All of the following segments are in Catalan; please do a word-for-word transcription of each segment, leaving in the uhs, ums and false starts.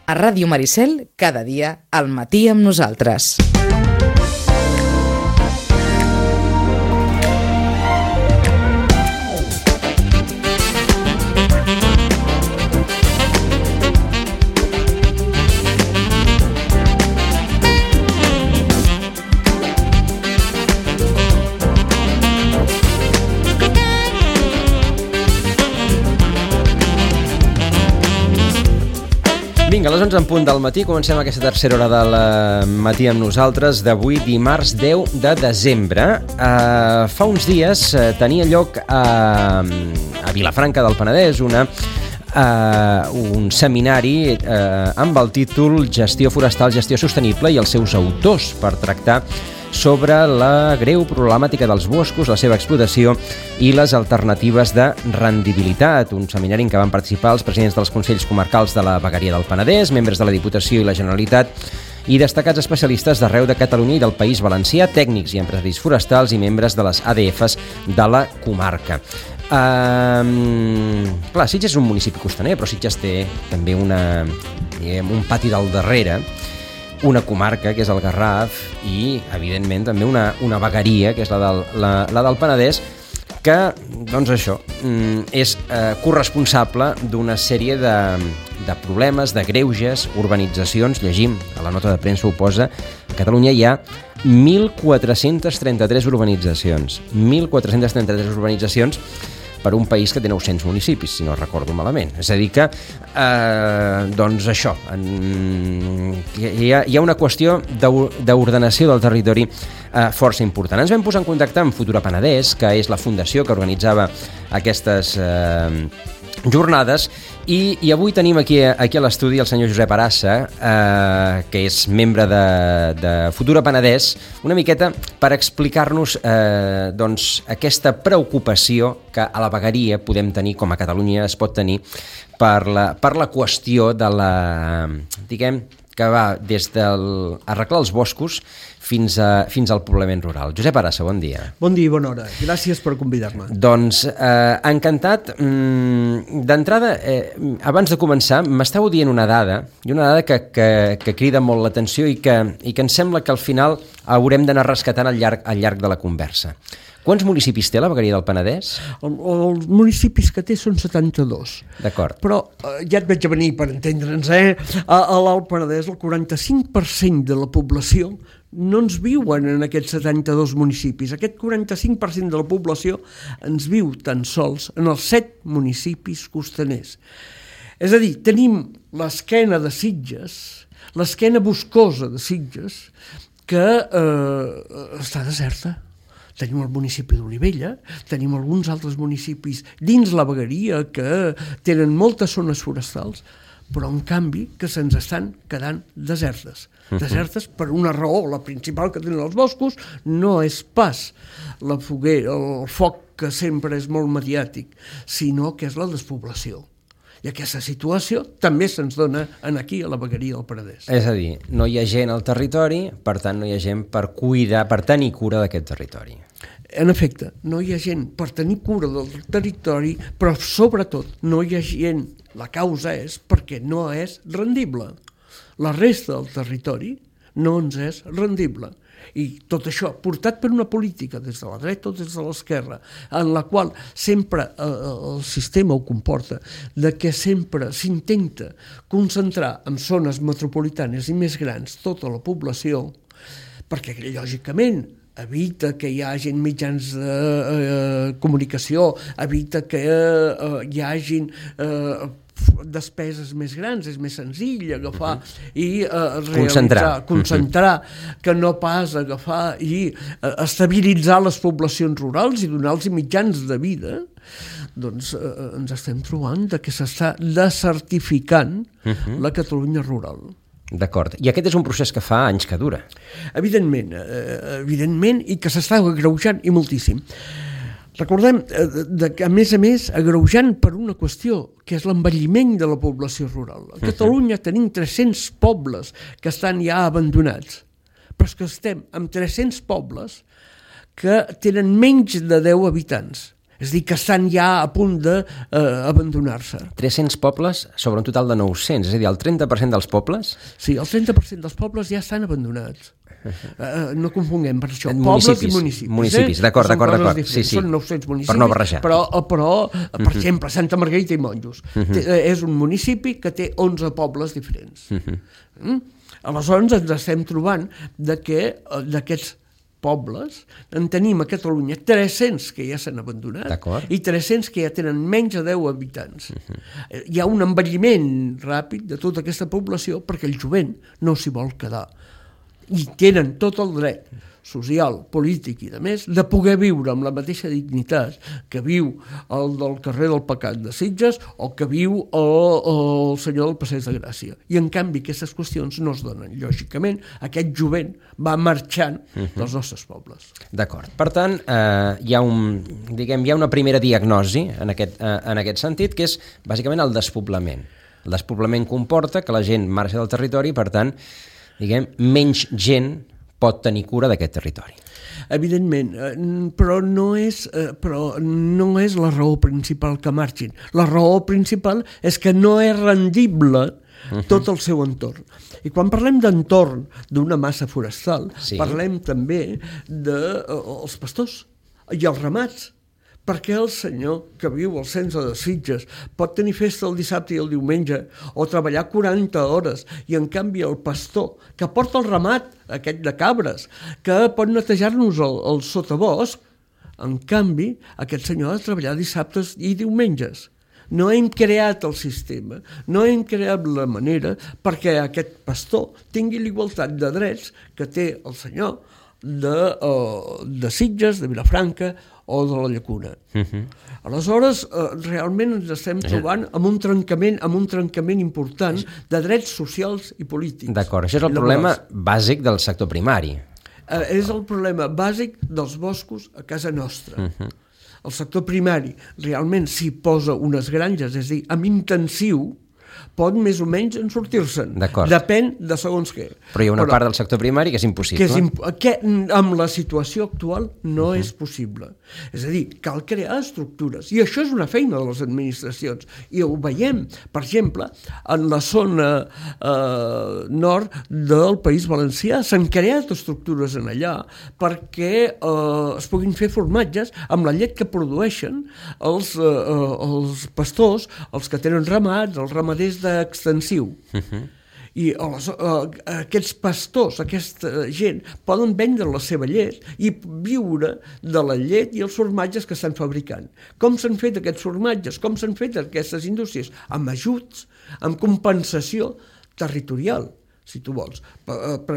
A Ràdio Maricel, cada dia, al matí amb nosaltres. Vinga, a les onze en punt del matí comencem aquesta tercera hora del matí amb nosaltres d'avui, dimarts deu de desembre. Uh, fa uns dies uh, tenia lloc a, a Vilafranca del Penedès una, uh, un seminari uh, amb el títol Gestió forestal, gestió sostenible i els seus autors, per tractar sobre la greu problemàtica dels boscos, la seva explotació i les alternatives de rendibilitat. Un seminari en què van participar els presidents dels Consells Comarcals de la Vegueria del Penedès, membres de la Diputació i la Generalitat i destacats especialistes d'arreu de Catalunya i del País Valencià, tècnics i empresaris forestals i membres de les A D Fs de la comarca. Um, clar, Sitges és un municipi costaner, però Sitges té també una, diguem, un pati del darrere, una comarca, que és el Garraf, i, evidentment, també una, una vegueria, que és la del, la, la del Penedès, que, doncs això, és eh, corresponsable d'una sèrie de, de problemes, de greuges, urbanitzacions. Llegim, a la nota de premsa ho posa, a Catalunya hi ha mil quatre-cents trenta-tres urbanitzacions. mil quatre-cents trenta-tres urbanitzacions per un país que té nou-cents municipis, si no recordo malament. És a dir que, eh, doncs això, en, hi, ha, hi ha una qüestió d'ordenació del territori eh, força important. Ens vam posar en contacte amb Futura Penedès, que és la fundació que organitzava aquestes eh, jornades, i, i avui tenim aquí, aquí a l'estudi el senyor Josep Arassa, eh, que és membre de, de Futura Penedès, una miqueta per explicar-nos eh, doncs, aquesta preocupació que a la vegueria podem tenir, com a Catalunya es pot tenir, per la, per la qüestió de la, diguem, que va des del arreglar els boscos fins, a, fins al poblament rural. Josep Arassa, bon dia. Bon dia i bona hora. Gràcies per convidar-me. Doncs eh, encantat. Mm, d'entrada, eh, abans de començar, m'estàveu dient una dada, i una dada que, que, que crida molt l'atenció i que, i que em sembla que al final haurem d'anar rescatant al llarg, al llarg de la conversa. Quants municipis té la vegueria del Penedès? El, els municipis que té són setanta-dos. D'acord. Però eh, ja et veig a venir per entendre'ns, eh? A, a l'Alt Penedès el quaranta-cinc per cent de la població no ens viuen en aquests setanta-dos municipis. Aquest quaranta-cinc per cent de la població ens viu tan sols en els set municipis costaners. És a dir, tenim l'esquena de Sitges, l'esquena boscosa de Sitges, que eh, està deserta. Tenim el municipi d'Olivella, tenim alguns altres municipis dins la vegueria que tenen moltes zones forestals, però en canvi que se'ns estan quedant desertes. Desertes per una raó, la principal que tenen els boscos no és pas la foguera, el foc que sempre és molt mediàtic, sinó que és la despoblació. I aquesta situació també se'ns dona en aquí, a la vegueria del Penedès. És a dir, no hi ha gent al territori, per tant no hi ha gent per cuidar, per tenir cura d'aquest territori. En efecte, no hi ha gent per tenir cura del territori, però sobretot no hi ha gent, la causa és perquè no és rendible. La resta del territori no ens és rendible. I tot això portat per una política des de la dreta o des de l'esquerra, en la qual sempre eh, el sistema ho comporta, de que sempre s'intenta concentrar en zones metropolitanes i més grans tota la població, perquè lògicament evita que hi hagin mitjans de eh, comunicació, evita que eh, hi hagin eh, despeses més grans, és més senzill agafar uh-huh. i eh, realitzar, concentrar, concentrar uh-huh. que no pas agafar i eh, estabilitzar les poblacions rurals i donar-los mitjans de vida. Doncs eh, ens estem trobant de que s'està desertificant uh-huh. la Catalunya rural. D'acord. I aquest és un procés que fa anys que dura. Evidentment, eh, evidentment, i que s'està agreujant i moltíssim. Recordem eh, que, a més a més, agreujant per una qüestió, que és l'envelliment de la població rural. A Catalunya uh-huh. tenim tres-cents pobles que estan ja abandonats, però és que estem amb tres-cents pobles que tenen menys de deu habitants. És a dir, que estan ja a punt d'abandonar-se. Eh, tres-cents pobles sobre un total de nou-cents, és a dir, el trenta per cent dels pobles? Sí, el trenta per cent dels pobles ja estan abandonats. Uh, no confonguem per això, municipis, pobles i municipis. Municipis, eh? d'acord, d'acord, d'acord. Sí, sí. Són nou-cents municipis, per no barrejar. però, però per uh-huh. exemple, Santa Margarita i Monjos uh-huh. té, és un municipi que té onze pobles diferents. Uh-huh. Mm? Aleshores ens estem trobant de que d'aquests pobles en tenim a Catalunya tres-cents que ja s'han abandonat i tres-cents que ja tenen menys de deu habitants. Uh-huh. Hi ha un envelliment ràpid de tota aquesta població perquè el jovent no s'hi vol quedar. I tenen tot el dret social, polític i de més de poder viure amb la mateixa dignitat que viu el del carrer del Pecat de Sitges o que viu el, el senyor del Passeig de Gràcia. I en canvi aquestes qüestions no es donen. Lògicament aquest jovent va marxant uh-huh. dels nostres pobles. D'acord. Per tant, eh, hi ha un, diguem, hi ha una primera diagnosi en aquest, eh, en aquest sentit, que és bàsicament el despoblament. El despoblament comporta que la gent marxa del territori i, per tant, diguem, menys gent pot tenir cura d'aquest territori. Evidentment, però no és, però no és la raó principal que marxin. La raó principal és que no és rendible uh-huh. tot el seu entorn. I quan parlem d'entorn d'una massa forestal, sí. parlem també dels de, pastors i els ramats. Perquè el senyor que viu al centre de Sitges pot tenir festa el dissabte i el diumenge o treballar quaranta hores i en canvi el pastor que porta el ramat, aquest de cabres, que pot netejar-nos el, el sotabosc, en canvi aquest senyor ha de treballar dissabtes i diumenges. No hem creat el sistema, no hem creat la manera perquè aquest pastor tingui l'igualtat de drets que té el senyor de, uh, de Sitges, de Vilafranca o de la Llacuna. Uh-huh. Aleshores, eh, realment ens estem trobant amb un trencament, amb un trencament important de drets socials i polítics. D'acord, això és el problema bàsic del sector primari. Eh, és el problema bàsic dels boscos a casa nostra. Uh-huh. El sector primari realment s'hi posa unes granges, és a dir, amb intensiu, pot més o menys en sortir-se'n. Depèn de segons què. Però hi ha una Però, part del sector primari que és impossible. Que és imp que amb la situació actual no uh-huh. és possible. És a dir, cal crear estructures. I això és una feina de les administracions. I ho veiem, per exemple, en la zona eh, nord del País Valencià. S'han creat estructures en allà perquè eh, es puguin fer formatges amb la llet que produeixen els, eh, els pastors, els que tenen ramats, els ramaders d'extensiu. Uh-huh. I les, uh, aquests pastors, aquesta gent, poden vendre la seva llet i viure de la llet i els formatges que estan fabricant. Com s'han fet aquests formatges? Com s'han fet aquestes indústries? Amb ajuts, amb compensació territorial, si tu vols. Per, per,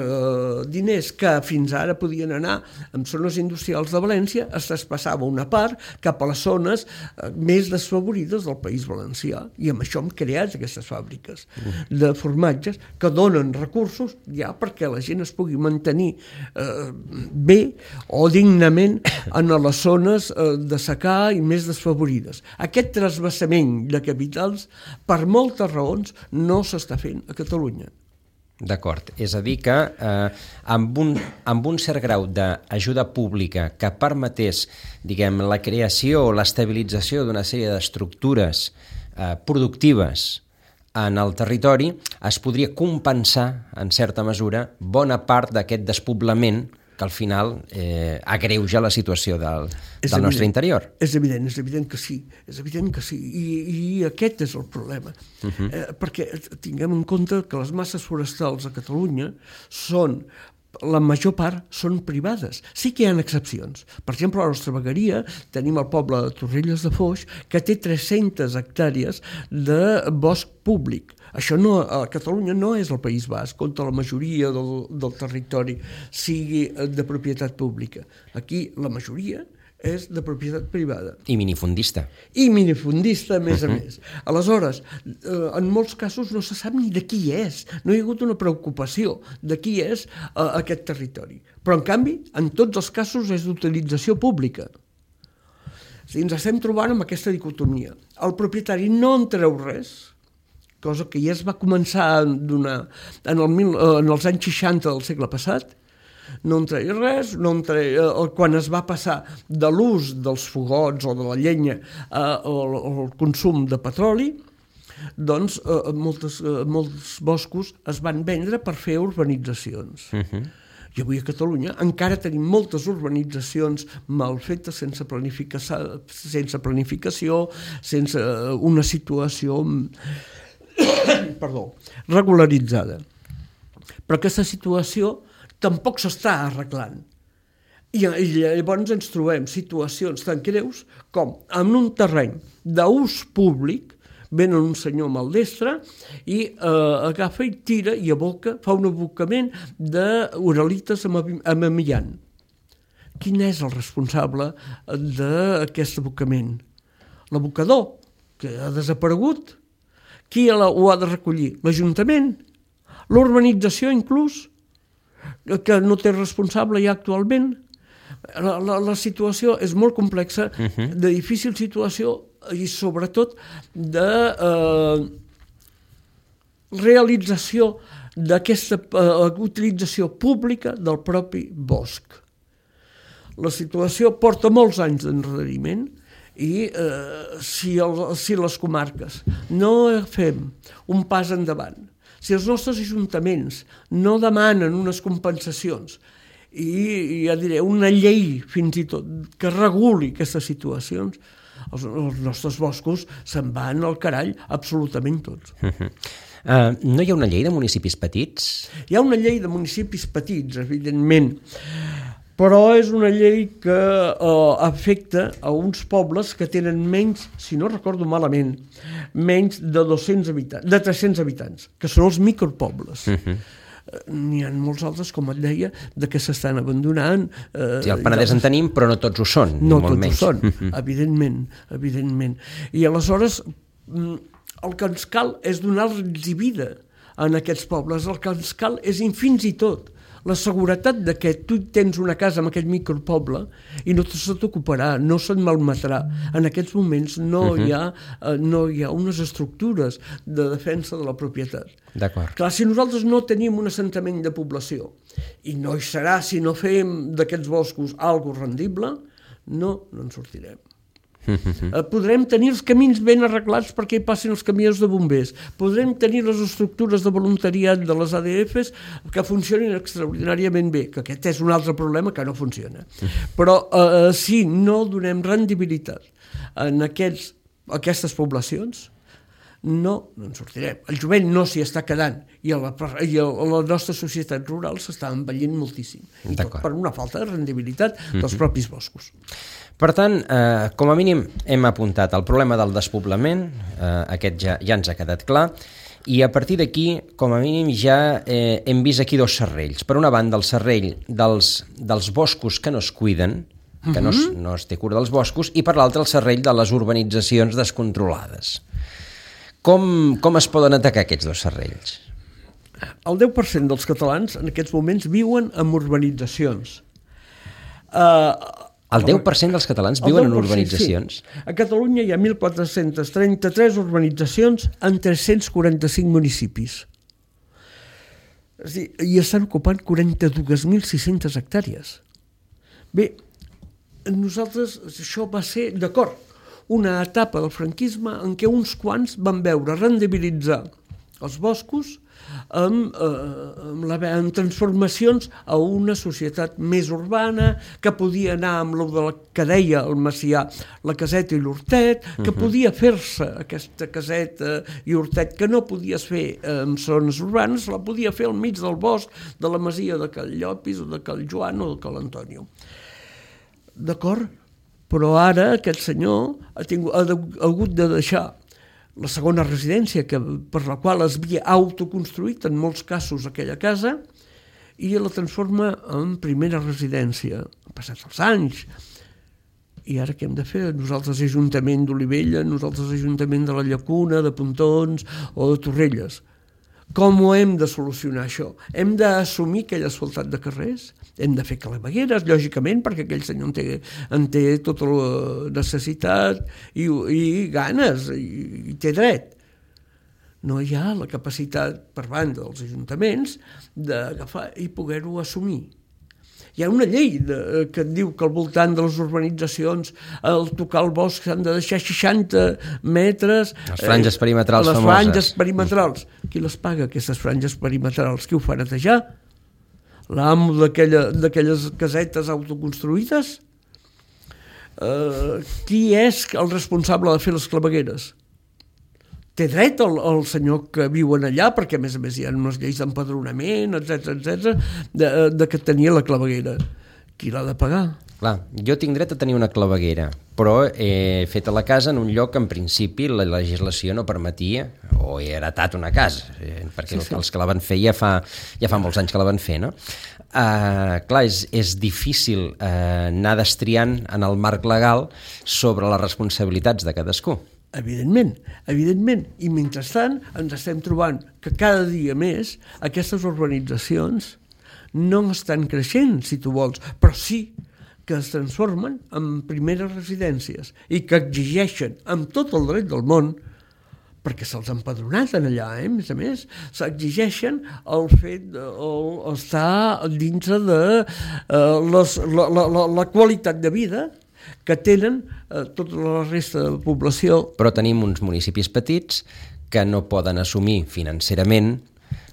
diners que fins ara podien anar en zones industrials de València, es traspassava una part cap a les zones més desfavorides del País Valencià. I amb això hem creat aquestes fàbriques de formatges que donen recursos ja perquè la gent es pugui mantenir eh, bé o dignament en les zones eh, de secà i més desfavorides. Aquest trasbassament de capitals, per moltes raons, no s'està fent a Catalunya. D'acord, és a dir que eh, amb, un, amb un cert grau d'ajuda pública que permetés, diguem, la creació o l'estabilització d'una sèrie d'estructures eh, productives en el territori, es podria compensar, en certa mesura, bona part d'aquest despoblament que al final eh, agreuja la situació del, del nostre interior. És evident, és evident que sí, és evident que sí, i, i aquest és el problema. Uh-huh. eh, perquè tinguem en compte que les masses forestals a Catalunya són, la major part són privades. Sí que hi ha excepcions. Per exemple, a la nostra vegueria tenim el poble de Torrelles de Foix, que té tres-centes hectàrees de bosc públic. Això no, a Catalunya no és el País Basc, on la majoria del, del territori sigui de propietat pública. Aquí la majoria és de propietat privada. I minifundista. I minifundista, a més a més. Aleshores, en molts casos no se sap ni de qui és. No hi ha hagut una preocupació de qui és uh, aquest territori. Però, en canvi, en tots els casos és d'utilització pública. O sigui, ens estem trobant amb aquesta dicotomia. El propietari no en treu res, cosa que ja es va començar a donar en, el mil, en els anys seixanta del segle passat, No en treia res, no en treia, quan es va passar de l'ús dels fogots o de la llenya al, al consum de petroli, doncs eh, moltes, eh, molts boscos es van vendre per fer urbanitzacions. Uh-huh. I avui a Catalunya encara tenim moltes urbanitzacions mal fetes, sense planificació, sense planificació, sense una situació perdó, regularitzada. Però aquesta situació tampoc s'està arreglant. I, I llavors ens trobem situacions tan greus com en un terreny d'ús públic venen un senyor maldestre i eh, agafa i tira i aboca, fa un abocament d'uralites amb, amb amiant. Quin és el responsable d'aquest abocament? L'abocador, que ha desaparegut. Qui ho ha de recollir? L'Ajuntament? L'urbanització, inclús? Que no té responsable ja actualment? La, la, la situació és molt complexa, uh-huh. de difícil situació, i sobretot de eh, realització d'aquesta eh, utilització pública del propi bosc. La situació porta molts anys d'enreriment i eh, si, el, si les comarques no fem un pas endavant, si els nostres ajuntaments no demanen unes compensacions i, ja diré, una llei fins i tot que reguli aquestes situacions, Els, els nostres boscos se'n van al carall absolutament tots. Uh-huh. Uh, no hi ha una llei de municipis petits? Hi ha una llei de municipis petits, evidentment, però és una llei que uh, afecta a uns pobles que tenen menys, si no recordo malament, menys de dos-cents habitants, de tres-cents habitants, que són els micropobles. Uh-huh. N'hi ha molts altres, com et deia, de que s'estan abandonant. Eh, sí, el Penedès en tenim, però no tots ho són. No molt tots menys. ho són, evidentment, evidentment. I aleshores el que ens cal és donar-los vida en aquests pobles. El que ens cal és, fins i tot, la seguretat de que tu tens una casa en aquest micropoble i no se t'ocuparà, no se't malmetrà. En aquests moments no, uh-huh. hi ha, eh, no hi ha unes estructures de defensa de la propietat. D'acord. Clar, si nosaltres no tenim un assentament de població i no hi serà si no fem d'aquests boscos algo rendible, no, no en sortirem. Uh-huh. Podrem tenir els camins ben arreglats perquè hi passin els camions de bombers, podrem tenir les estructures de voluntariat de les A D Fs que funcionin extraordinàriament bé, que aquest és un altre problema que no funciona. Uh-huh. Però eh, si no donem rendibilitat en aquests, aquestes poblacions, no, no en sortirem. El jovent no s'hi està quedant i a la, i a la nostra societat rural s'està envellint moltíssim. I tot per una falta de rendibilitat dels uh-huh. propis boscos. Per tant, eh, com a mínim hem apuntat el problema del despoblament, eh, aquest ja, ja ens ha quedat clar, i a partir d'aquí, com a mínim, ja eh, hem vist aquí dos serrells. Per una banda, el serrell dels, dels boscos que no es cuiden, que no es, no es té cura dels boscos, i per l'altre el serrell de les urbanitzacions descontrolades. Com, com es poden atacar aquests dos serrells? El deu per cent dels catalans en aquests moments viuen en urbanitzacions. Uh, El deu per cent dels catalans viuen en urbanitzacions? Sí. A Catalunya hi ha mil quatre-cents trenta-tres urbanitzacions en tres-cents quaranta-cinc municipis. És a dir, i estan ocupant quaranta-dos mil sis-centes hectàrees. Bé, nosaltres, això va ser, d'acord, una etapa del franquisme en què uns quants van veure rendibilitzar els boscos amb, eh, amb, la, amb transformacions a una societat més urbana, que podia anar amb el de la, que deia el Macià, la caseta i l'hortet, que uh-huh. podia fer-se aquesta caseta i hortet que no podies fer en zones urbanes, la podia fer al mig del bosc de la masia de Cal Llopis o de Cal Joan o de Cal Antonio. D'acord? Però ara aquest senyor ha, tingut, ha, de, ha hagut de deixar la segona residència que, per la qual es havia autoconstruït en molts casos aquella casa i la transforma en primera residència. Han passat els anys. I ara què hem de fer? Nosaltres Ajuntament d'Olivella, nosaltres Ajuntament de la Llacuna, de Pontons o de Torrelles. Com ho hem de solucionar això? Hem d'assumir aquell asfaltat de carrers? Hem de fer clavegueres, lògicament, perquè aquell senyor en té, en té tota la necessitat i, i ganes, i, i té dret. No hi ha la capacitat per banda dels ajuntaments d'agafar i poder-ho assumir. Hi ha una llei de, que et diu que al voltant de les urbanitzacions, al tocar el bosc s'han de deixar seixanta metres... Les franges perimetrals eh, les famoses. Les franges perimetrals. Qui les paga, aquestes franges perimetrals? Qui ho fa netejar? L'amo d'aquelles casetes autoconstruïdes? Uh, qui és el responsable de fer les clavegueres? Té dret el, el senyor que viuen allà, perquè a més a més hi ha unes lleis d'empadronament, etcètera, etcètera, de, de que tenia la claveguera. Qui l'ha de pagar? Clar, jo tinc dret a tenir una claveguera, però he fet a la casa en un lloc que en principi la legislació no permetia, o he heretat una casa, eh, perquè sí, sí. els que la van fer ja fa, ja fa molts anys que la van fer, no? Uh, clar, és, és difícil uh, anar destriant en el marc legal sobre les responsabilitats de cadascú. Evidentment, evidentment. I mentrestant ens estem trobant que cada dia més aquestes urbanitzacions no estan creixent, si tu vols, però sí que es transformen en primeres residències i que exigeixen amb tot el dret del món, perquè se'ls ha empadronat en allà, eh? A més a més, s'exigeixen el fet d'estar dins de uh, les, la, la, la, la qualitat de vida que tenen uh, tota la resta de la població. Però tenim uns municipis petits que no poden assumir financerament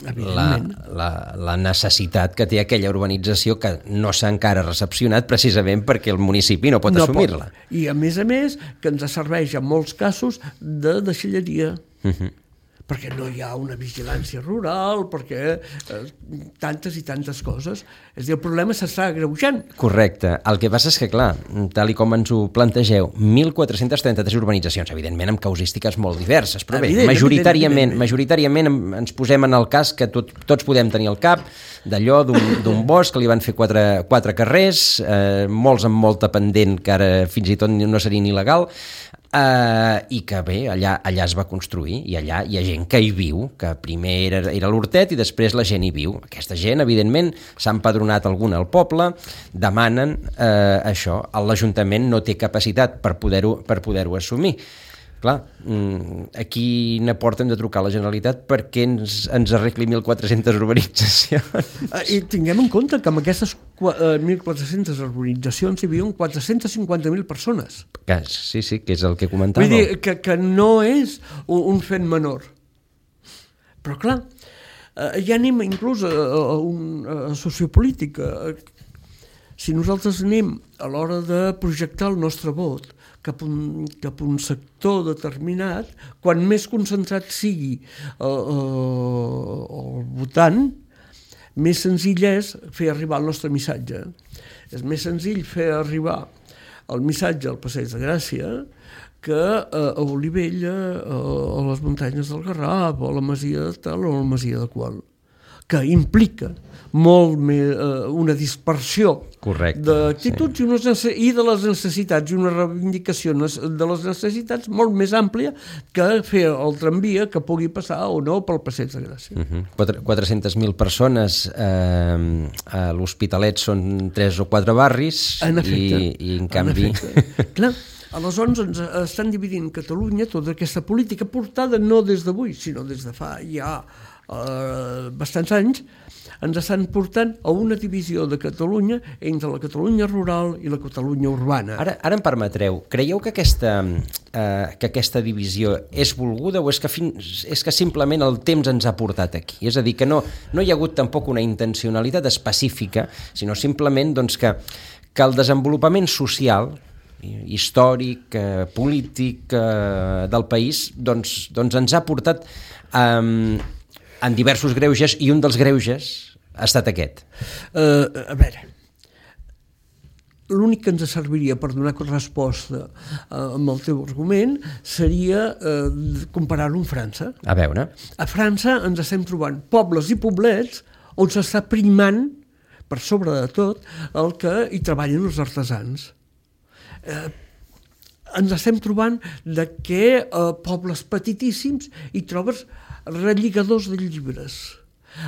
la, la, la necessitat que té aquella urbanització que no s'ha encara recepcionat precisament perquè el municipi no pot no assumir-la. Pot. I a més a més que ens serveix en molts casos de deixalleria. Uh-huh. Perquè no hi ha una vigilància rural, perquè eh, tantes i tantes coses. És a dir, el problema s'està agreujant. Correcte. El que passa és que, clar, tal i com ens ho plantegeu, mil quatre-cents trenta-tres urbanitzacions, evidentment amb causístiques molt diverses, però bé, majoritàriament, majoritàriament ens posem en el cas que tot, tots podem tenir al cap d'allò d'un bosc que li van fer quatre, quatre carrers, eh, molts amb molta pendent que ara fins i tot no serien il·legal, Uh, i que bé, allà, allà es va construir i allà hi ha gent que hi viu, que primer era, era l'hortet i després la gent hi viu. Aquesta gent, evidentment, s'ha empadronat alguna al poble, demanen uh, això. L'Ajuntament no té capacitat per poder-ho per poder-ho assumir. Clar, a quina porta hem de trucar a la Generalitat perquè ens, ens arregli mil quatre-centes urbanitzacions? I tinguem en compte que amb aquestes mil quatre-centes urbanitzacions hi havia quatre-cents cinquanta mil persones. Que, sí, sí, que és el que comentàveu. Vull dir que, que no és un, un fet menor. Però clar, ja anem inclús a, a, a sociopolítica. Si nosaltres anem a l'hora de projectar el nostre vot cap a un, cap a un sector determinat, quan més concentrat sigui el, el, el votant, més senzill és fer arribar el nostre missatge. És més senzill fer arribar el missatge al Passeig de Gràcia que a Olivella, a les muntanyes del Garraf, o a la masia de tal o a la masia de qual, que implica molt més, eh, una dispersió d'actituds sí. i, i de les necessitats, i una reivindicació de les necessitats molt més àmplia que fer el tramvia que pugui passar o no pel Passeig de Gràcia. Uh-huh. quatre-centes mil persones, eh, a l'Hospitalet són tres o quatre barris en efecte, i, i en canvi... En clar, aleshores ens estan dividint Catalunya tota aquesta política portada no des d'avui, sinó des de fa ja Uh, bastants anys, ens estan portant a una divisió de Catalunya entre la Catalunya rural i la Catalunya urbana. Ara, ara em permetreu, creieu que aquesta, uh, que aquesta divisió és volguda o és que, fins, és que simplement el temps ens ha portat aquí? És a dir, que no, no hi ha hagut tampoc una intencionalitat específica, sinó simplement doncs, que, que el desenvolupament social històric, eh, polític eh, del país doncs, doncs ens ha portat um, en diversos greuges, i un dels greuges ha estat aquest. Uh, a veure, l'únic que ens serviria per donar resposta uh, amb el teu argument seria uh, comparar-ho amb França. A veure. A França ens estem trobant pobles i poblets on s'està primant, per sobre de tot, el que hi treballen els artesans. Uh, ens estem trobant de que uh, pobles petitíssims hi trobes relligadors de llibres,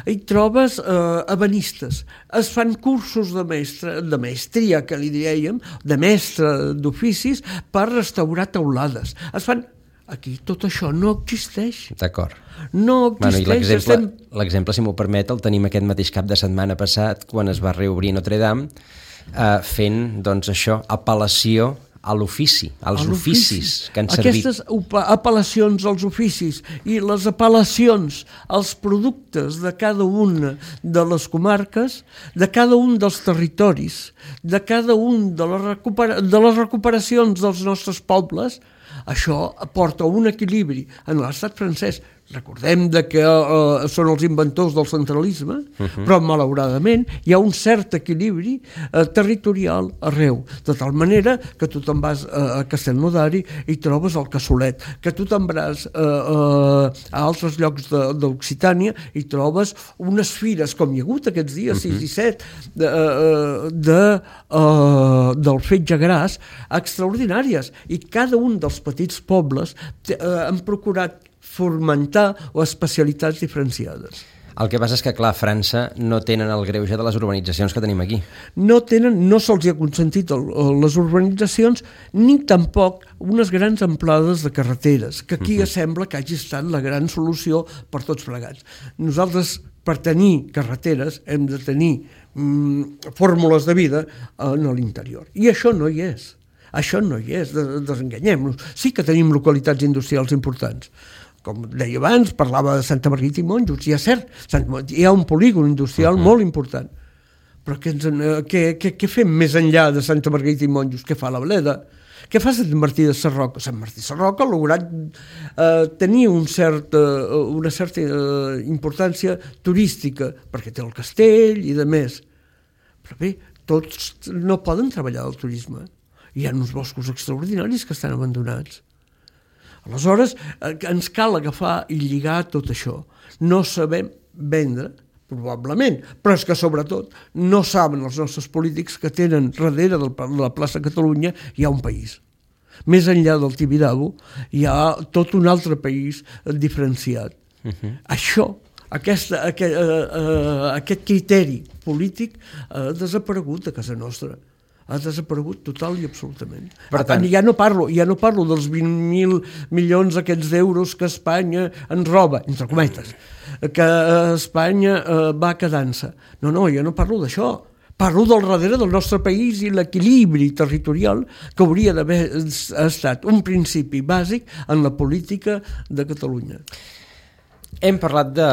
hi trobes eh, ebenistes, es fan cursos de, mestre, de mestria, que li dèiem, de mestre d'oficis, per restaurar teulades. Es fan Aquí tot això no existeix. D'acord. No Bueno, i existeix. l'exemple, estem... l'exemple, si m'ho permet, el tenim aquest mateix cap de setmana passat, quan es va reobrir Notre Dame, eh, fent, doncs, això, apel·lació a l'ofici, als a oficis que han servit. Aquestes apel·lacions als oficis i les apel·lacions als productes de cada una de les comarques, de cada un dels territoris, de cada un de les, recupera de les recuperacions dels nostres pobles, això aporta un equilibri en l'estat francès. Recordem de que uh, són els inventors del centralisme, uh-huh. però malauradament hi ha un cert equilibri uh, territorial arreu, de tal manera que tu te'n vas uh, a Castellnodari i trobes el cassolet, que tu te'n vas uh, uh, a altres llocs d'Occitània i trobes unes fires, com hi ha hagut aquests dies, uh-huh. sis i set, de, uh, de, uh, del fetge gras, extraordinàries, i cada un dels petits pobles uh, han procurat fomentar o especialitats diferenciades. El que passa és que, clar, a França no tenen el greuge de les urbanitzacions que tenim aquí. No tenen, no se'ls ha consentit el, les urbanitzacions, ni tampoc unes grans amplades de carreteres, que aquí uh-huh. sembla que hagi estat la gran solució per tots plegats. Nosaltres, per tenir carreteres, hem de tenir mm, fórmules de vida en l'interior. I això no hi és. Això no hi és, desenganyem-nos. Sí que tenim localitats industrials importants. Com deia abans, parlava de Santa Margarita i Monjos, i és cert, hi ha un polígon industrial uh-huh. molt important. Però què, ens, què, què, què fem més enllà de Santa Margarita i Monjos? Què fa la Bleda? Què fa Sant Martí de Sarroca? Sant Martí de Sarroca ha lograt eh, tenir un cert, eh, una certa eh, importància turística, perquè té el castell i de més. Però bé, tots no poden treballar del turisme. Hi ha uns boscos extraordinaris que estan abandonats. Aleshores, ens cal agafar i lligar tot això. No sabem vendre, probablement, però és que sobretot no saben els nostres polítics que tenen darrere de la plaça Catalunya hi ha un país. Més enllà del Tibidabo hi ha tot un altre país diferenciat. Uh-huh. Això, aquesta, aquest, uh, uh, aquest criteri polític ha desaparegut a casa nostra. Ha desaparegut total i absolutament. Per tant, ja no parlo, ja no parlo dels vint mil milions aquests d'euros que Espanya ens roba, entre cometes, que Espanya eh, va quedant-se. No, no, ja no parlo d'això. Parlo del darrere del nostre país i l'equilibri territorial que hauria d'haver estat un principi bàsic en la política de Catalunya. Hem parlat de,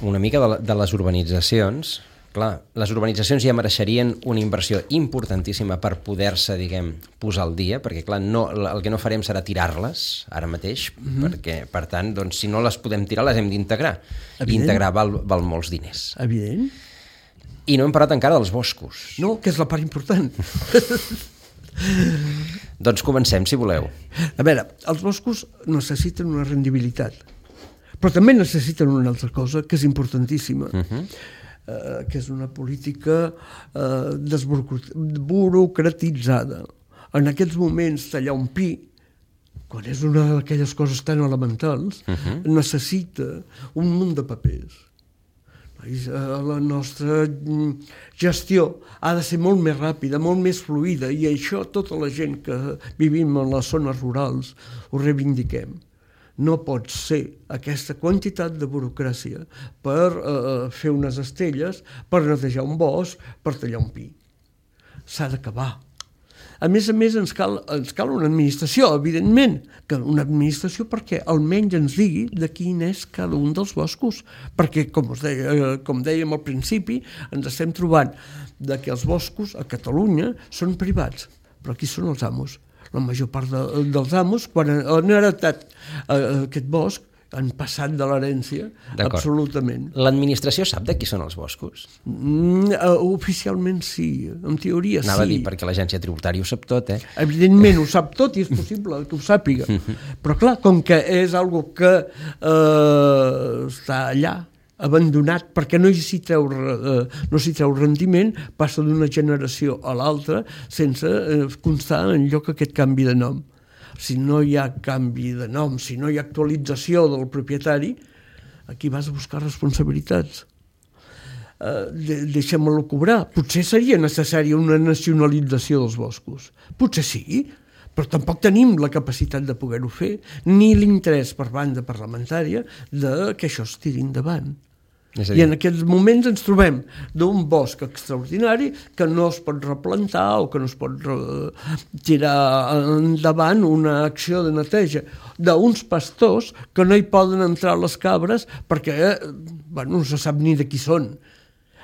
una mica de, de les urbanitzacions. Clar, les urbanitzacions ja mereixerien una inversió importantíssima per poder-se, diguem, posar al dia, perquè clar, no, el que no farem serà tirar-les ara mateix, mm-hmm. perquè, per tant, doncs, si no les podem tirar, les hem d'integrar. I integrar val, val molts diners. Evident. I no hem parlat encara dels boscos. No, que és la part important. Doncs comencem, si voleu. A veure, els boscos necessiten una rendibilitat, però també necessiten una altra cosa que és importantíssima. Mhm. Uh, que és una política uh, desburocratitzada. En aquests moments, tallar un pi, quan és una d'aquelles coses tan elementals, uh-huh. necessita un munt de papers. La nostra gestió ha de ser molt més ràpida, molt més fluida, i això tota la gent que vivim en les zones rurals ho reivindiquem. No pot ser aquesta quantitat de burocràcia per eh, fer unes estelles, per netejar un bosc, per tallar un pi. S'ha d'acabar. A més a més, ens cal, ens cal una administració, evidentment, que una administració perquè almenys ens digui de quin és cada un dels boscos, perquè, com, us deia, eh, com dèiem al principi, ens estem trobant de que els boscos a Catalunya són privats, però qui són els amos? La major part de, dels amos, quan han heretat eh, aquest bosc, han passat de l'herència absolutament. L'administració sap de qui són els boscos? Mm, uh, oficialment sí, en teoria Anava sí. a dir, perquè l'agència tributària ho sap tot, eh? Evidentment ho sap tot i és possible que ho sàpiga. Però clar, com que és algo que eh, està allà, abandonat, perquè no s'hi treu, eh, no s'hi treu rendiment, passa d'una generació a l'altra sense eh, constar en lloc aquest canvi de nom. Si no hi ha canvi de nom, si no hi ha actualització del propietari, aquí vas a buscar responsabilitats. Eh, de, deixem-lo cobrar. Potser seria necessària una nacionalització dels boscos. Potser sí, però tampoc tenim la capacitat de poder-ho fer, ni l'interès per banda parlamentària de que això es tiri endavant. I en aquests moments ens trobem d'un bosc extraordinari que no es pot replantar o que no es pot tirar endavant una acció de neteja d'uns pastors que no hi poden entrar les cabres perquè bueno, no se sap ni de qui són,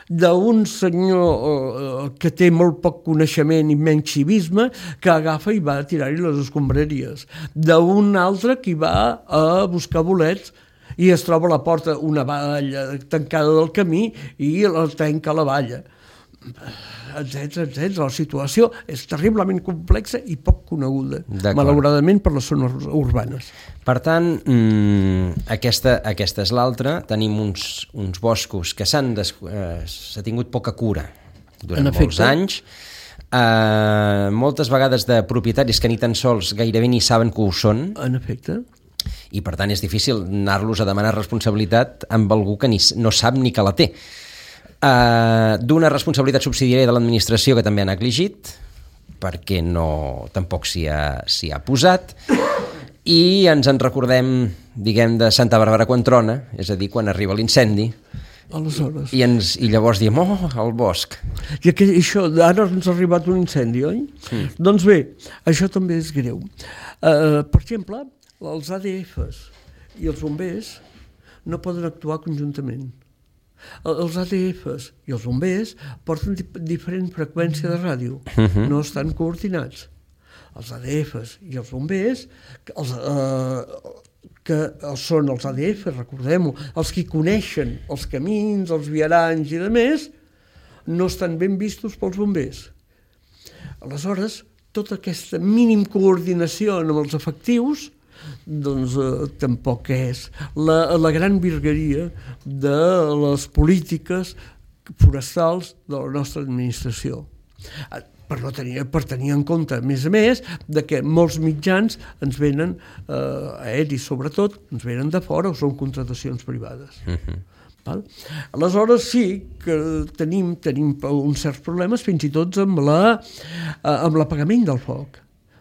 d'un senyor que té molt poc coneixement i menys civisme que agafa i va a tirar-hi les escombraries, d'un altre que va a buscar bolets i es troba a la porta una valla tancada del camí i la tanca la valla, etcètera, etcètera. La situació és terriblement complexa i poc coneguda, malauradament, per les zones urbanes. Per tant, mmm, aquesta, aquesta és l'altra. Tenim uns, uns boscos que s'han des... eh, s'ha tingut poca cura durant molts anys. Eh, moltes vegades de propietaris que ni tan sols gairebé ni saben que ho són. En efecte. I per tant és difícil anar-los a demanar responsabilitat amb algú que ni, no sap ni que la té. Uh, d'una responsabilitat subsidiària de l'administració que també ha negligit, perquè no, tampoc s'hi ha, s'hi ha posat, i ens en recordem, diguem, de Santa Bàrbara quan trona, és a dir, quan arriba l'incendi, aleshores. I, ens, i llavors diem, oh, el bosc. I que, això, ara ens ha arribat un incendi, oi? Mm. Doncs bé, això també és greu. Uh, per exemple, els A D Fs i els bombers no poden actuar conjuntament. Els A D Fs i els bombers porten diferent freqüència de ràdio, uh-huh. no estan coordinats. Els A D Fs i els bombers, els, eh, que són els A D Fs, recordem-ho, els que coneixen els camins, els viaranys i de més, no estan ben vistos pels bombers. Aleshores, tota aquesta mínim coordinació amb els efectius doncs eh, tampoc és la, la gran virgueria de les polítiques forestals de la nostra administració. Per, no tenir, per tenir en compte, a més a més, de que molts mitjans ens venen, eh, aeris sobretot, ens venen de fora o són contratacions privades. Uh-huh. Val? Aleshores sí que tenim, tenim uns certs problemes fins i tot amb, la, amb l'apagament del foc,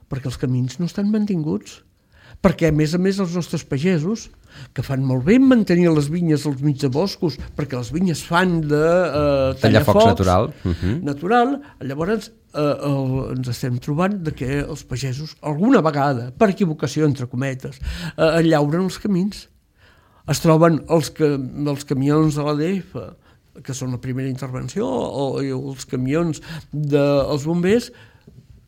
perquè els camins no estan mantinguts. Perquè, a més a més, els nostres pagesos, que fan molt bé mantenir les vinyes als mig de boscos, perquè les vinyes fan de eh, tallafocs natural, uh-huh. natural, llavors eh, el, ens estem trobant de que els pagesos, alguna vegada, per equivocació, entre cometes, eh, llauren els camins. Es troben els, que, els camions de l'A D F, que són la primera intervenció, o, o els camions dels bombers,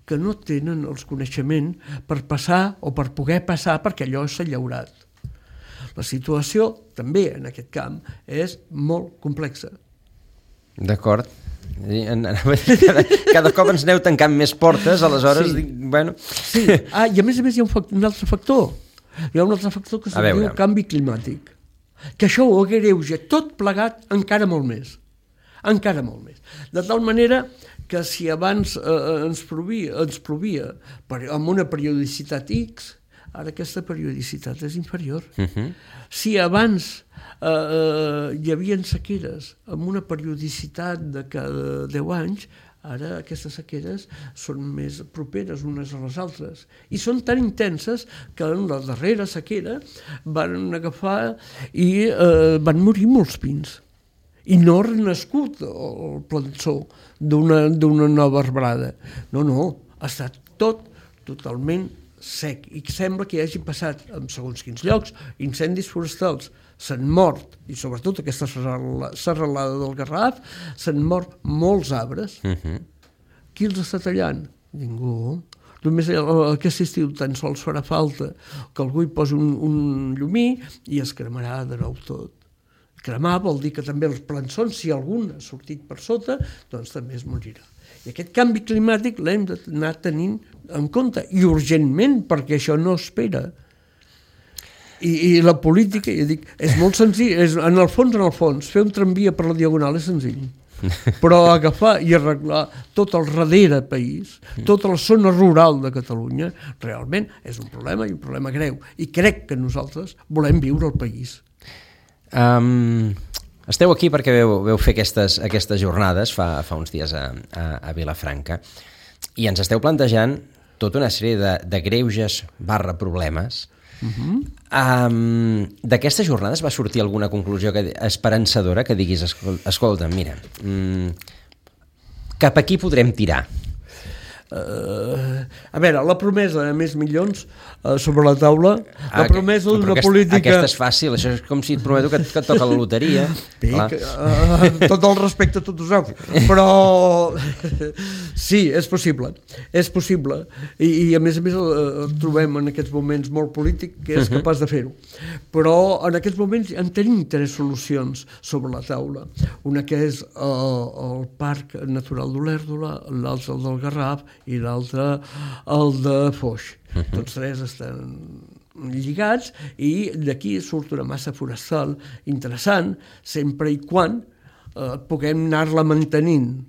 que no tenen els coneixements per passar o per poder passar perquè allò s'ha llaurat. La situació, també en aquest camp, és molt complexa. D'acord. Cada, cada cop ens aneu tancant més portes, aleshores... Sí. Dic, bueno... sí. Ah, i a més a més hi ha un, factor, un altre factor. Hi ha un altre factor que se'n diu canvi climàtic. Que això ho agreuja tot plegat encara molt més. Encara molt més. De tal manera que si abans eh, ens plovia, ens plovia per, amb una periodicitat X, ara aquesta periodicitat és inferior. Uh-huh. Si abans eh, eh, hi havia sequeres amb una periodicitat de cada deu anys, ara aquestes sequeres són més properes unes a les altres i són tan intenses que en la darrera sequera van agafar i eh, van morir molts pins. I no ha renascut el plançó d'una, d'una nova arbrada. No, no, ha estat tot totalment sec i sembla que hi hagi passat en segons quins llocs incendis forestals. S'han mort, i sobretot aquesta serralada del Garraf, s'han mort molts arbres. Uh-huh. Qui els està tallant? Ningú. Només aquest estiu tan sols farà falta que algú hi posi un, un llumí i es cremarà de nou tot. Cremar vol dir que també els plançons, si algun ha sortit per sota, doncs també es morirà. I aquest canvi climàtic l'hem d'anar tenint en compte, i urgentment, perquè això no espera. I, i la política, ja dic, és molt senzill, és, en el fons, en el fons, fer un tramvia per la Diagonal és senzill. Però agafar i arreglar tot el darrere país, tota la zona rural de Catalunya, realment és un problema i un problema greu. I crec que nosaltres volem viure al país. Um, esteu aquí perquè veu, veu fer aquestes, aquestes jornades fa, fa uns dies a, a, a Vilafranca i ens esteu plantejant tota una sèrie de, de greuges barra problemes. Uh-huh. Um, d'aquestes jornades va sortir alguna conclusió que, esperançadora que diguis, escol, escolta, mira, um, cap aquí podrem tirar? Uh, a veure, la promesa de més milions uh, sobre la taula, la ah, promesa d'una aquest, política... Aquesta és fàcil, això és com si et prometo que, que et toca la loteria. Pic, uh, tot el respecte a tots us heu, però sí, és possible, és possible, i, i a més a més el trobem en aquests moments molt polític que és capaç de fer-ho, però en aquests moments en tenim tres solucions sobre la taula, una que és uh, el Parc Natural d'Olèrdola, l'altre el del Garraf i l'altre el de Foix. Uh -huh. Tots tres estan lligats i d'aquí surt una massa forestal interessant, sempre i quan eh, puguem anar-la mantenint,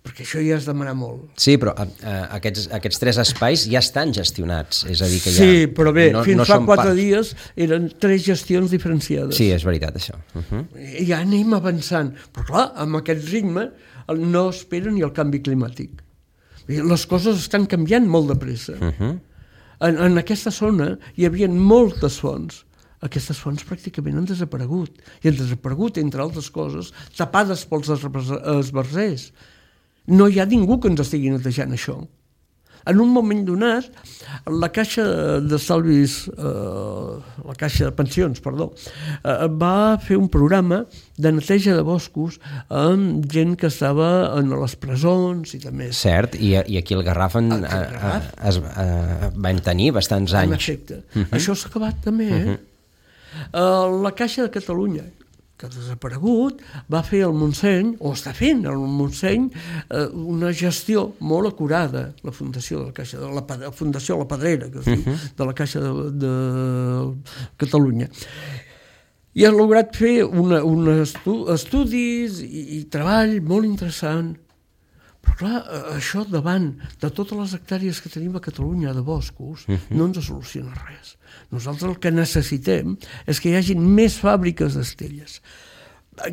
perquè això ja és demanar molt. Sí, però uh, aquests, aquests tres espais ja estan gestionats, és a dir que ja... Sí, però bé, no, fins no fa quatre part... dies eren tres gestions diferenciades. Sí, és veritat, això. Uh -huh. I ja anem avançant, però clar, amb aquest ritme no espera ni el canvi climàtic. Les coses estan canviant molt de pressa. Uh -huh. en, en aquesta zona hi havia moltes fonts. Aquestes fonts pràcticament han desaparegut. I han desaparegut, entre altres coses, tapades pels esbarzers. No hi ha ningú que ens estigui netejant això. En un moment donat, la Caixa d'Estalvis, eh, la Caixa de Pensions, perdó, eh, va fer un programa de neteja de boscos amb gent que estava en les presons i també... Cert, i, i aquí el Garraf, en, el Garraf a, a, es, a, van tenir bastants anys. En efecte. Uh -huh. Això s'ha acabat també, eh? Uh -huh. uh, la Caixa de Catalunya, que ha desaparegut, va fer el Montseny, o està fent el Montseny, eh, una gestió molt acurada, la Fundació de la Caixa, de la, la Fundació La Pedrera, que es diu, uh-huh. de la Caixa de, de Catalunya. I ha lograt fer una, una estu, estudis i, i treball molt interessant. Però clar, això davant de totes les hectàrees que tenim a Catalunya de boscos, uh-huh. no ens soluciona res. Nosaltres el que necessitem és que hi hagi més fàbriques d'estelles,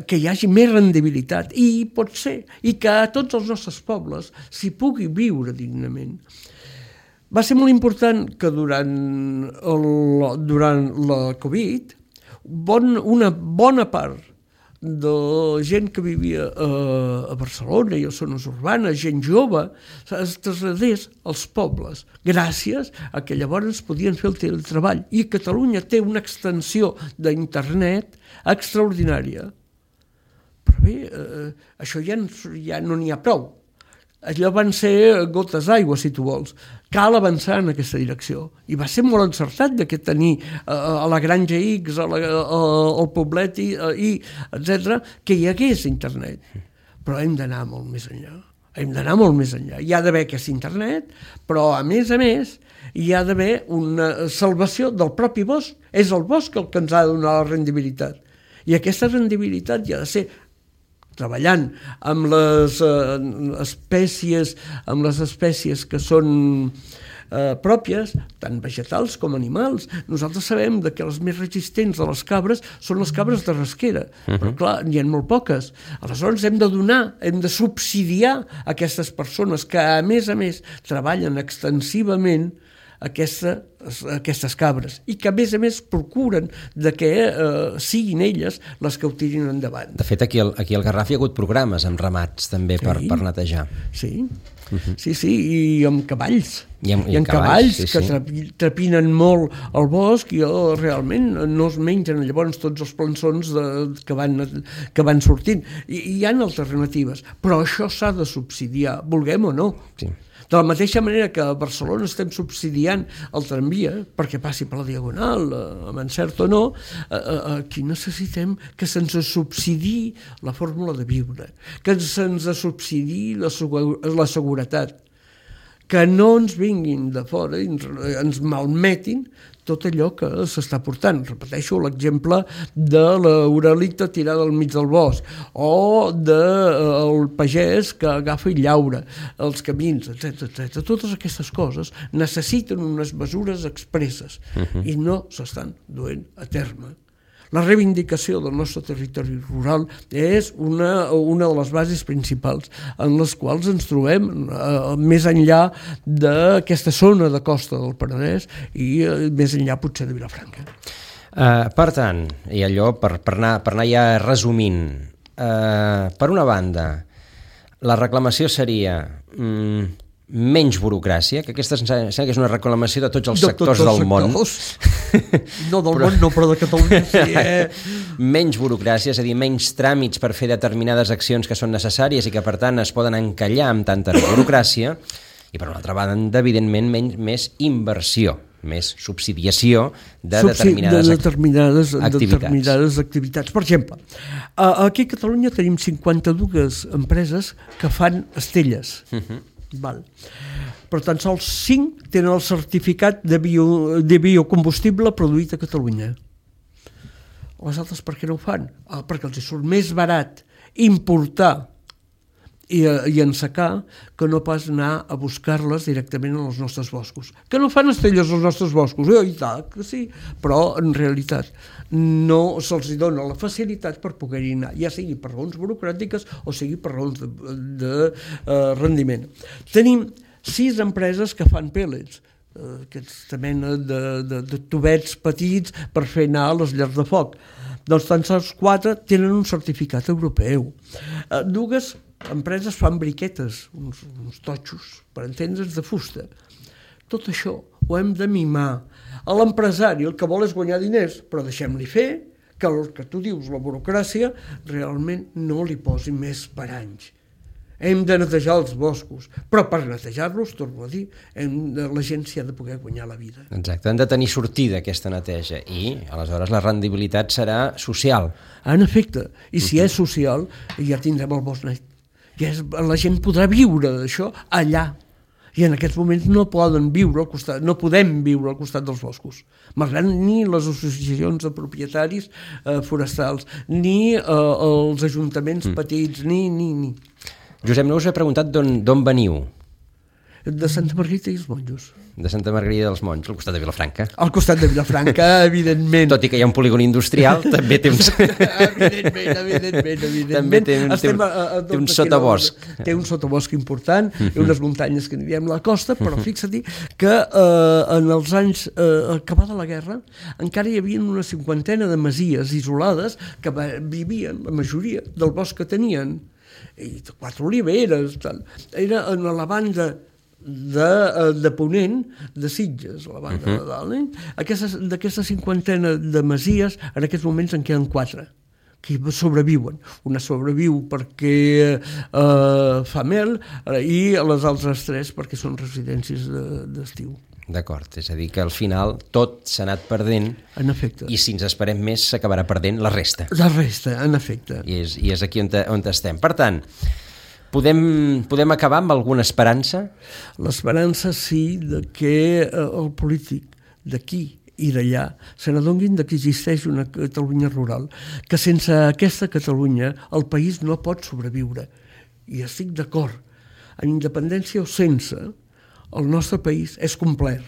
que hi hagi més rendibilitat, i pot ser, i que a tots els nostres pobles s'hi pugui viure dignament. Va ser molt important que durant, el, durant la Covid bon, una bona part de gent que vivia a, a Barcelona i a zones urbanes, gent jove, es traslladés als pobles, gràcies a que llavors podien fer el teletreball. I Catalunya té una extensió d'internet extraordinària. Però bé, eh, això ja, ja no n'hi ha prou. Allò van ser gotes d'aigua, si tu vols. Cal avançar en aquesta direcció. I va ser molt encertat de que tenir a la Granja X, a la, a, al Poblet i, i etcètera, que hi hagués internet. Però hem d'anar molt més enllà. Hem d'anar molt més enllà. Hi ha d'haver aquest internet, però a més a més hi ha d'haver una salvació del propi bosc. És el bosc el que ens ha de donar la rendibilitat. I aquesta rendibilitat hi ha de ser treballant amb les eh, espècies amb les espècies que són eh, pròpies, tant vegetals com animals. Nosaltres sabem de que les més resistents de les cabres són les cabres de rasquera, uh-huh. però clar, n'hi ha molt poques. Aleshores hem de donar, hem de subsidiar aquestes persones que a més a més treballen extensivament Aquesta, aquestes cabres i que a més a més procuren de que eh, siguin elles les que ho tirin endavant. De fet, aquí al, aquí al Garraf hi ha hagut programes amb ramats també sí. per, per netejar. Sí, uh-huh. sí, sí, i amb cavalls. I amb, I amb cavalls, cavalls sí, que sí. trepinen molt el bosc i oh, realment no es mengen llavors tots els plançons de, que, van, que van sortint. I, i hi ha alternatives, però això s'ha de subsidiar, vulguem o no. Sí. De la mateixa manera que a Barcelona estem subsidiant el tramvia perquè passi per la Diagonal, amb encert o no, aquí necessitem que se'ns subsidii la fórmula de viure, que se'ns subsidii la, la seguretat, que no ens vinguin de fora i ens malmetin tot allò que s'està portant. Repeteixo l'exemple de l'oralita tirada al mig del bosc o del pagès que agafa i llaura els camins, etcètera etcètera. Totes aquestes coses necessiten unes mesures expresses uh-huh. i no s'estan duent a terme. La reivindicació del nostre territori rural és una, una de les bases principals en les quals ens trobem eh, més enllà d'aquesta zona de costa del Penedès i eh, més enllà potser de Vilafranca. Uh, per tant, i allò per, per, anar, per anar ja resumint, uh, per una banda, la reclamació seria mm, menys burocràcia, que aquesta sembla que és una reclamació de tots els de sectors tots els del món. No del però... món, no, però de Catalunya sí. Eh? Menys burocràcia, és a dir, menys tràmits per fer determinades accions que són necessàries i que, per tant, es poden encallar amb tanta burocràcia. I, per una altra banda, evidentment, menys, més inversió, més subsidiació de determinades, de determinades, activitats. determinades activitats. Per exemple, aquí a Catalunya tenim cinquanta-dues empreses que fan estelles. Uh-huh. Val. Per tant, sols cinc tenen el certificat de, bio, de biocombustible produït a Catalunya. Les altres per què no ho fan? Ah, perquè els surt més barat importar i, i ensecar que no pas anar a buscar-les directament als nostres boscos. Que no fan estelles als nostres boscos, eh? I tant, que sí, però en realitat no se'ls dona la facilitat per poder-hi anar, ja sigui per raons burocràtiques o sigui per raons de, de uh, rendiment. Tenim sis empreses que fan pèl·lets, uh, aquesta mena de, de, de tubets petits per fer anar a les llars de foc. Doncs tan sols quatre tenen un certificat europeu. Uh, dues empreses fan briquetes, uns, uns totxos, per entendre's, de fusta. Tot això ho hem de mimar. A l'empresari el que vol és guanyar diners, però deixem-li fer, que el que tu dius, la burocràcia, realment no li posi més paranys. Hem de netejar els boscos, però per netejar-los, torno a dir, hem de, la gent s'hi ha de poder guanyar la vida. Exacte, han de tenir sortida aquesta neteja i, aleshores, la rendibilitat serà social. En efecte, i si uh-huh. és social, ja tindrem el bosc net. I és, la gent podrà viure d'això allà. I en aquests moments no poden viure al costat, no podem viure al costat dels boscos, malgrat ni les associacions de propietaris eh, forestals, ni eh, els ajuntaments mm. petits, ni, ni, ni. Josep, no us he preguntat d'on veniu? De Santa Margarida i els Monjos. De Santa Margarida dels Monjos, al costat de Vilafranca. Al costat de Vilafranca, evidentment. Tot i que hi ha un polígon industrial, també té uns... evidentment, evidentment, evidentment. També té un, té un, a, a, té un sotabosc. Té un sotabosc important, uh-huh. unes muntanyes que n'hi diem la costa, però fixa-t'hi que eh, en els anys eh, acabada la guerra encara hi havia una cinquantena de masies isolades que vivien, la majoria, del bosc que tenien. I quatre oliveres, tal. Era en la banda de, de Ponent, de Sitges, la banda uh-huh. de dalt. Eh? Aquestes, d'aquesta cinquantena de masies, en aquests moments en queden quatre que sobreviuen. Una sobreviu perquè eh, fa mel i les altres tres perquè són residències de, d'estiu. D'acord, és a dir que al final tot s'ha anat perdent. En efecte. I si ens esperem més s'acabarà perdent la resta. La resta, en efecte. I és, i és aquí on, te, on estem. Per tant, podem, podem acabar amb alguna esperança? L'esperança sí de que eh, el polític d'aquí i d'allà se n'adonguin que existeix una Catalunya rural, que sense aquesta Catalunya el país no pot sobreviure. I estic d'acord, en independència o sense, el nostre país és complet.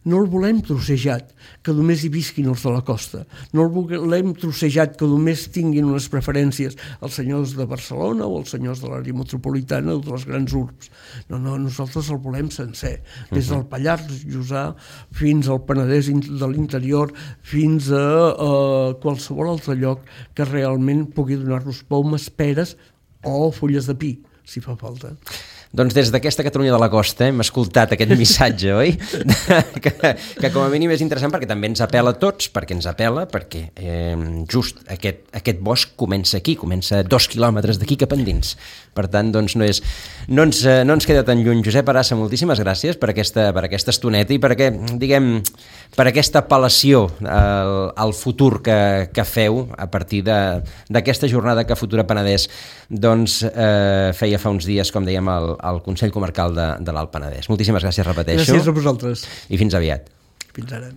No el volem trossejat, que només hi visquin els de la costa. No el volem trossejat, que només tinguin unes preferències els senyors de Barcelona o els senyors de l'àrea metropolitana o de les grans urbs. No, no, nosaltres el volem sencer. Des del Pallars Jussà fins al Penedès de l'interior, fins a, a qualsevol altre lloc que realment pugui donar-nos pomes, peres o fulles de pi, si fa falta. Doncs des d'aquesta Catalunya de la Costa hem escoltat aquest missatge, oi? que, que com a mínim és interessant perquè també ens apela a tots, perquè ens apela, perquè eh, just aquest, aquest bosc comença aquí, comença dos quilòmetres d'aquí cap endins. Per tant, doncs no, és, no, ens, no ens queda tan lluny. Josep Arassa, moltíssimes gràcies per aquesta, per aquesta estoneta i per, aquest, diguem, per aquesta apel·lació al, al futur que, que feu a partir d'aquesta jornada que Futura Penedès doncs, eh, feia fa uns dies, com dèiem, al, al Consell Comarcal de, de l'Alt Penedès. Moltíssimes gràcies, repeteixo. Gràcies a vosaltres. I fins aviat. Fins ara.